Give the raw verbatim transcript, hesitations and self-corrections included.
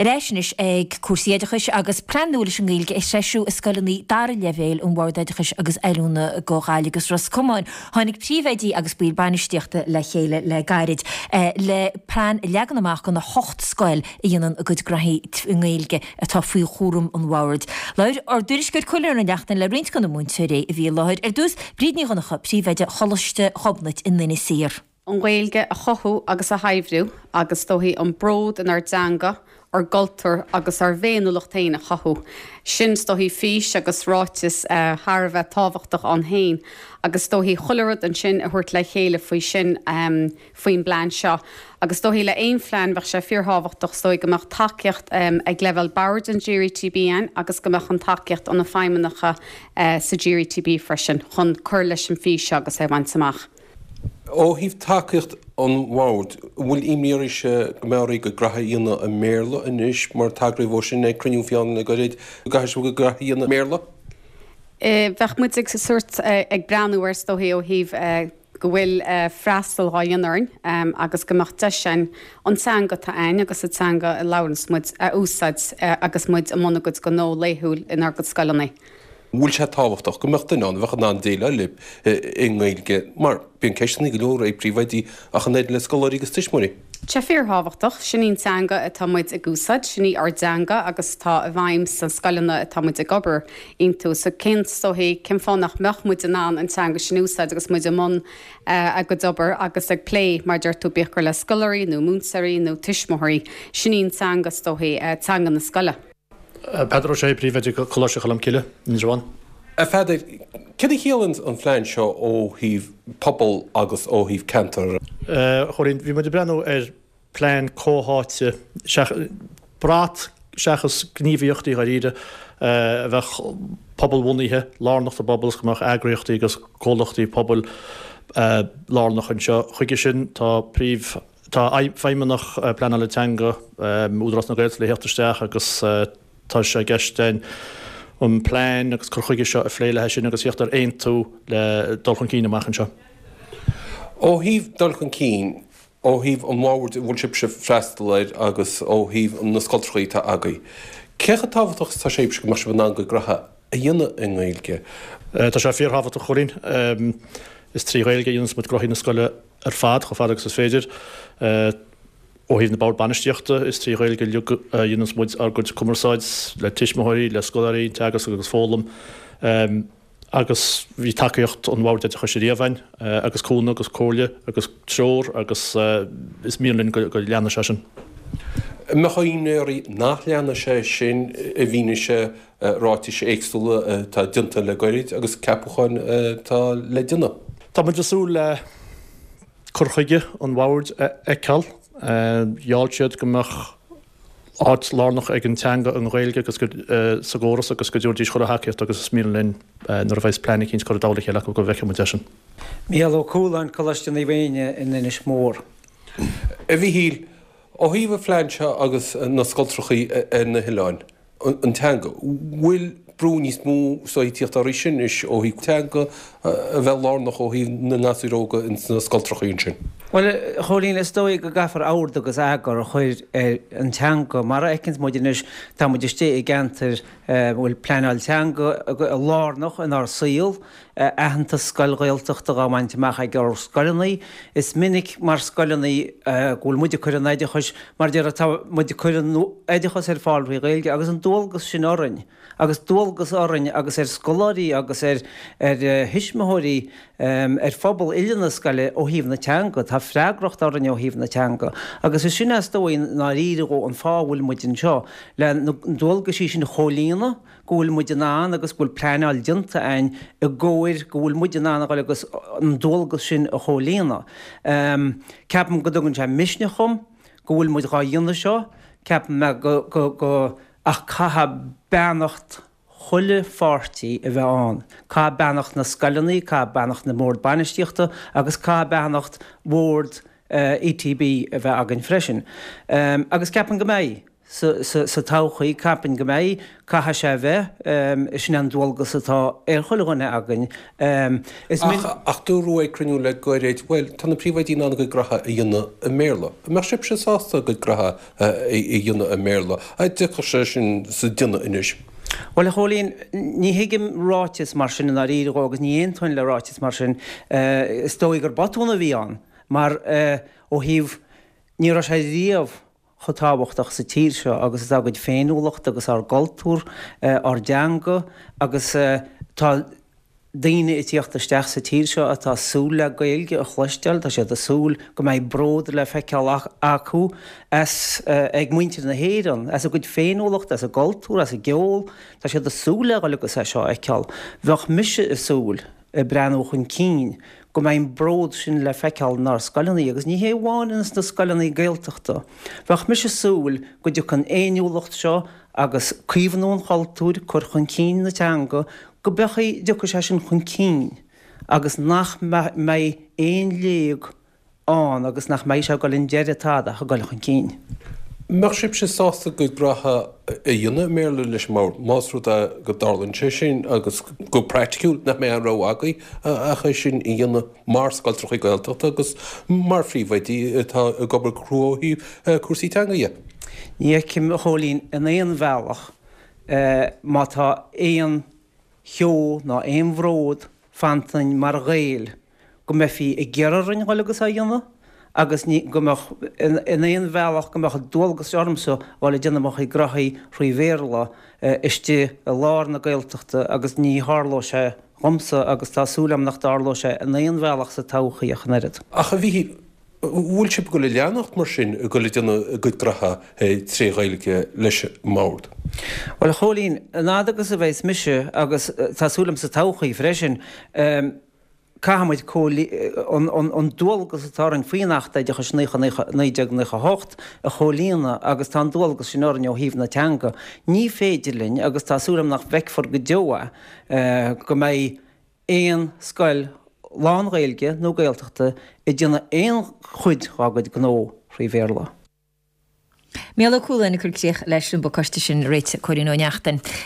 Ar ais anois ag cúrsaí oideachais agus plean nua leis an nGaeilge a threisiú i scoileanna dara leibhéal an Bhord Oideachais agus Oiliúna do Ghaillimh agus Ros Comáin. Tháinig príomhoidí agus baill bainistíochta le chéile le gairid eh, le plean a leagan amach do na hocht scoil a dhéanann a gcuid gnoithí i nGaeilge atá faoi chúram an bhoird. Labhair ár dtuairisceoir Cóilín Ó Neachtain le roinnt de na múinteoirí a bhí i láthair ar dtús Bríd Ní Dhonncha príomhoide Choláiste Ghobnait in Inis Oírr. An Ghaeilge a chothú agus a shaibhriú agus is dóichí an bród inár dteanga, ár gcultúr agus ár bhféiniúlacht féin a chothú. Sin is dóichí fís agus ráiteas uh, thar a bheith tábhachtach ann féin, agus is dóichí chuile rud ansin a thabhairt le chéile faoi sin um, faoin bplean seo. Agus is dóichí le aon phlean bheadh sé fíorthábhachtach is dóichí go mbeadh tacaíocht um, ag leibhéal boird an GRETB ann agus go mbeadh an tacaíocht ó na feidhmeannacha uh, sa GRETB freisin chun cur leis an fís seo agus é a bhaint amach. Ó thaobh tacaíocht an bhoird, bhfuil imní oraibhse go mbeidh go gnoithí a dhéanamh i mBéarla anois mar tagraíodh dó sin ag cruinniú fiáin le gairid go gcaithfidh sibh gnoithí a dhéanamh i mBéarla? Bheadh muid ag sort ag breathnú ar is dóichí ó thaobh go bhfuil freastal á dhéanamh orainn agus go mbeadh deis againn an teanga atá againn agus an teanga a labhranns muid a úsáid agus muid i mbun ár gcuid gnó laethúil inár gcuid scoileanna. Bhfuil sé tábhachtach go mbeadh duine ann a bheadh in ann déileáil libh i nGaeilge mar bíonn ceisteanna go leor ag príomhoidí ach an oiread le scoláirí agus tuismitheoirí. Sé fíorthábhachtach sin í an teanga atá muid ag úsáid, sin í ár dteanga agus tá i bhfeidhm sna scoileanna atá muid ag obair iontu, so cén is dóichí cén fáth nach mbeadh muid in ann an teanga sin úsáid agus muid i mbun ár gcuid obair agus ag plé mar deir tú bíodh gur le scoláirí nó múinteoirí nó tuismitheoirí, sin í an teanga is dóichí teanga na scoile. Peadar Ó Sé príomhoide Choláiste Cholmcille, Indreabhán. A Pheadair, cad a chiallaíonn an phlean seo ó thaobh pobal agus ó thaobh ceantar? Chóilín, bhí muid ag breathnú ar plean comhtháite brat seachas gníomhaíochtaí dháiríre a bheadh pobalbhunaithe lárnach sa bpobal go mbeadh eagraíochtaí agus comhlachtaí pobail lárnach anseo. Chuige sin tá príomh tá feidhmeannach pleanála teanga Údarás na Gaeltachta le theacht isteach agus tá sé i gceist an plean agus cur chuige seo a phlé leis sin agus theacht ar aontú le dul chun cinn amach anseo. Ó thaobh dul chun cinn ó thaobh an bhoird a bhfuil sibhse freastal air agus ó thaobh na scoltracha atá agaibh. Cé chomh tábhachtach tá sé go mbeadh sibh in ann go gnoithí a dhéanamh i nGaeilge? Tá sé fíorthábhachtach Chóilín is trí Ghaeilge a dhéananns muid gnoithí na scoile ar fad chomh fada agus is féidir. Ó thaobh na bord bainistíochta is trí Ghaeilge a dhéananns muid ár gcuid cumarsáid le tuismitheoirí, le scoláirí, teagasc agus foghlaim. Agus bhí tacaíocht an bhoird oideachais riamh againn agus cúnamh agus comhairle agus treoir agus is mian linn go leanfaidh sé sin. Mbeadh imní oraibh nach leanfaidh sé sin i bhfianaise ráitis éagsúla atá déanta le gairid agus ceapacháin atá le déanamh. Tá muid ag súil le cur chuige an bhoird a fheiceáil. Gheall siad go mbeadh áit lárnach ag an teanga an Ghaeilge agus sa gcóras agus go dtabharfaidís chuile thacaíocht agus is mian linn nuair a bheas plean eicínt curtha i dtoll a chéile acu go bhfeicfidh muid é sin. Mícheál Ó Cualáin, Coláiste Naomh Éinne in Inis Mór. A Mhíchíl, ó thaobh an phlean seo agus na scoltrachaí ar na hoileáin, an teanga, bhfuil brú níos mó so ag tíocht oraibh sin anois ó thaobh teanga a bheith lárnach ó thaobh na ngasúir óga ins na scoltrachaí ansin? Bhuel, a Chóilín, is dóigh go gcaithfear ord agus eagar a chur ar an teanga. Mar a fheiceanns muid anois, tá muid istigh i gceantar a bhfuil pleanáil teanga lárnach inár saol, aitheantas scoil Ghaeltachta dhá bhaint amach ag ár scoileanna. Is minic mar scoileanna go bhfuil muid ag cur an oideachais, mar deir tá muid ag cur an oideachas ar fáil trí Ghaeilge agus an dualgas sin orainn. Agus dualgas orainn agus ar scoláirí agus ar ar thuismitheoirí ar phobal uile na scoile ó thaobh na teanga. Tá freagracht orainn ó thaobh na teanga. Agus is sin is dóigh i ndáiríre an fáth a bhfuil muid anseo, le na dualgaisí sin a chomhlíonadh, go bhfuil muid in ann agus go bhfuil pleanáil déanta againn i gcomhair go bhfuil muid in ann a dhul agus an dualgas sin a chomhlíonadh. Ceapaim go dtugann sé misneach dhom go bhfuil muid dhá dhéanamh seo. Ceapaim mé go go go ach caithfidh beannacht chuile pháirtí a bheith ann. Caithfidh beannacht na scoileanna, caithfidh beannacht na mbord bainistíochta agus caithfidh beannacht bhord ETB a bheith againn freisin. Agus ceapaim go mbeidh. sa todhchaí, ceapaim go mbeidh, caithfidh sé a bheith, sin an dualgas atá ar chuile dhuine againn. Is min. Ach dúradh ag cruinniú le gairid, bhuel, tá na príomhoidí in ann a gcuid graithe a dhéanamh i mBéarla. An mbeadh sibhse sásta a gcuid graithe a dhéanamh i mBéarla? An dtiocfadh sé sin sa déanamh anois? Bhuel, a Chóilín, ní thuigim ráiteas mar sin i ndáiríre dhó agus ní aontóinn le ráiteas mar sin. Is dóigh gur botún a bhí ann mar ó thaobh, ní raibh sé riamh chomh tábhachtach sa tír seo agus atá ár gcuid féiniúlacht agus ár gcultúr, ár dteanga agus tá daoine ag tíocht isteach sa tír seo atá ag súil le Gaeilge a chloisteáil, tá siad ag súil go mbeidh bród le feiceáil acu as, ag muintir na hÉireann, as a gcuid féiniúlacht, as a gcultúr, as a gceol, tá siad ag súil le dhul agus é seo a fheiceáil. Bheadh mise ag súil, ag breathnú chun cinn, go mbeidh an bród sin le feiceáil inár scoileanna, agus ní hé amháin ins na scoileanna Gaeltachta. Bheadh mise ag súil go dtiocfaidh an fhéiniúlacht seo agus caomhnú an chultúir, cur chun cinn na teanga, go mbeadh, dtiocfaidh sé sin chun cinn agus nach mbeidh aon léig ann agus nach mbeidh sé ag dul i ndeireadh tada ach ag dul chun cinn. Mbeadh sibhse sásta a gcuid graithe a dhéanamh i mBéarla leis an mBord, más rud é go dtarlaíonn sé sin agus go praiticiúil nach mbeidh aon rogha agaibh ach é sin a dhéanamh mar scoiltreachaí Gaeltachta agus mar phríomhoidí atá ag obair go crua ó thaobh cúrsaí teanga dhe? Ní fheicim, a Chóilín, in aon bhealach má tá aon cheo ná aon bhród fanta ionainn mar Ghaeil go mbeifí ag iarraidh orainn dhul agus á dhéanamh agus ní go mbeadh in aon bhealach go mbeadh dualgas ormsa dhul ag déanamh mo chuid graithí thrí Bhéarla istigh i lár na Gaeltachta agus ní tharlódh sé dhomsa agus tá súil agam nach dtarlóidh sé in aon bhealach sa todhchaí ach an oiread. Ach a Mhíchíl, Bhfuil sibh ag dul a leanacht mar sin, ag dul ag déanamh a gcuid graithe tré Ghaeilge leis an mBord? Bhuel, a Chóilín, an fhad agus a bheas mise, agus tá súil agam sa todhchaí freisin, caithfidh muid an dualgas atá orainn faoin Acht Oideachais naoi déag nócha a hocht a chomhlíonadh agus tá an dualgas sin orainn ó thaobh na teanga. Ní féidir linn, agus tá súil agam nach bhfeicfear go deo é, go mbeidh aon scoil lán-Ghaeilge nó Gaeltachta ag déanamh aon chuid dhá gcuid gnó thrí Bhéarla. Mícheál Ó Cualáin ag cur críoch leis an bpacáiste sin réitithe ag Cóilín Ó Neachtain.